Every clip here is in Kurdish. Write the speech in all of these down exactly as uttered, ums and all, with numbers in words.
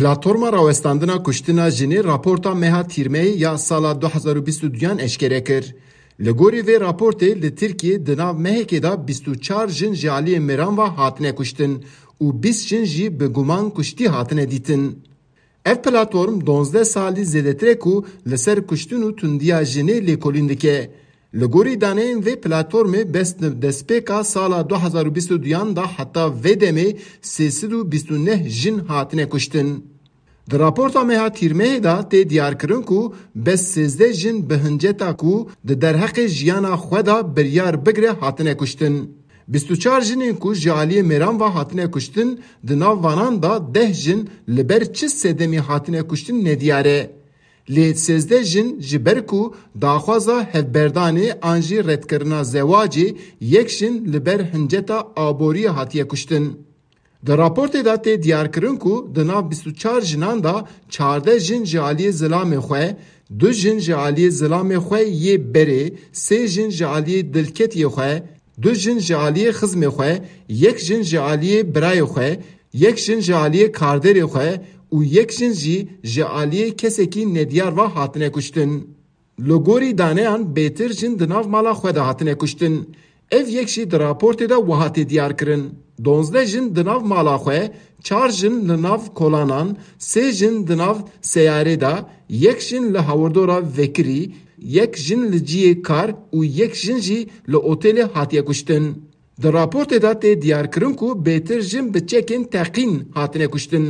Platforma Rawestandina Kuştina Jinê raporta meha Tîrmehê ya sala du hezar û bîst û duyan eşkere kir. Li gorî vê raportê li Tirkiyê di nav mehekê de bîst û çar jin ji aliyê mêran ve hatine kuştin û bîst jin jî bi guman kuştî hatine dîtin. Ev platform duwazdeh salî zêdetir e ku li ser kuştin û tundiya jinê lêkolîn dike. Li gorî daneyên vê platformê bes di destpêka sala du hezar û bîst û duyan de heta vê demê sê sed û bîst û neh jin hatine kuştin. Di raporta meha Tîrmehê de tê diyarkirin ku bes sêzdeh jin bi hinceta ku di derheqê jiyana xwe de biryar bigire hatine kuştin. Bîst û çar jinên ku ji aliyê mêran ve hatine kuştin, di nav vanan de deh jin li ber çi sedemî hatine kuştin nediyar e. Lê sêzdeh jin ji ber ku daxwaza hevberdanê an jî redkirina zewacê, yek jin li ber hinceta aboriyê hatiye kuştin. Di raportê de tê diyarkirin ku di nav bîst û çar jinan de çardeh jin ji aliyê zilamê xwe, du jin ji aliyê zilamê xwe yê berê, sê jin ji aliyê dilketiyê xwe, du jin ji aliyê xizmê xwe, yek jin ji aliyê birayê xwe, yek jin ji aliyê karderê xwe û yek jin jî ji aliyê kesekî nediyar ve hatine kuştin. Li gorî daneyan bêtir jin di nav mala xwe de hatine kuştin. Ev yek jî di raportê de wiha tê diyarkirin. Duwazdeh jin di nav mala xwe, çar jin li nav kolanan, sê jin di nav seyarê de, yek jin li hawirdora vekirî, yek jin li cihê kar û yek jin jî li otêlê hatiye kuştin. Di raportê de tê diyarkirin ku bêtir jin bi çekên teqîn hatine kuştin.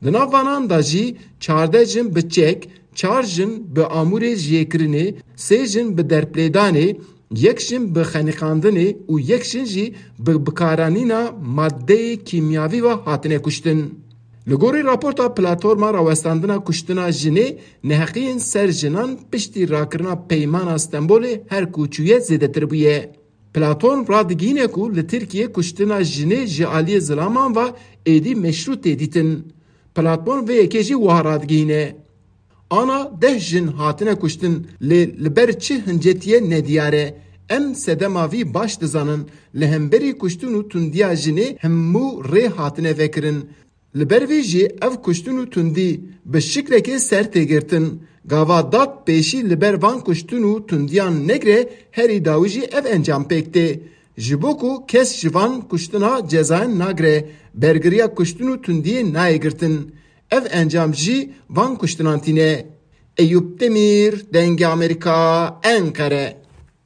Di nav vanan de jî çardeh jin bi çek, çar jin bi amûrê jiyêkirinê, sê jin bi derplêdanê, yek jin bi xeniqandinê û yek jin jî bi bikaranîna madeyê kîmyavî ve hatine kuştin. Li gorî raporta Platforma Rawestandina Kuştina Jinê, neheqiyên ser jinan piştî rakirina Peymana Stenbolê her ku çûye zêdetir bûye. Platform radigihîne ku li Tirkiyê kuştina jinê ji aliyê zilaman ve êdî meşrû tê dîtin. Platform vê yekê jî wiha radigihîne. Ana deh jin hatine kuştin, lê li ber çi hincetiye nediyar e. Em sedema vî baş dizanin. Li hemberî kuştin û tundiya jinê hemû rê hatine vekirin. Li ber vê jî ev kuştin û tundî bi şiklekê ser tê girtin. Gava dad pêşî li ber van kuştin û tundiyan negire, herî dawî jî ev encam pêk tê. Ji bo ku kes ji van kuştina cezayan nagire, bergiriya kuştin û tundiyê nayê girtin. Ev encam jî van kuştinan tîne. Eyûp Demîr, Dengê Amerîka, Enqere.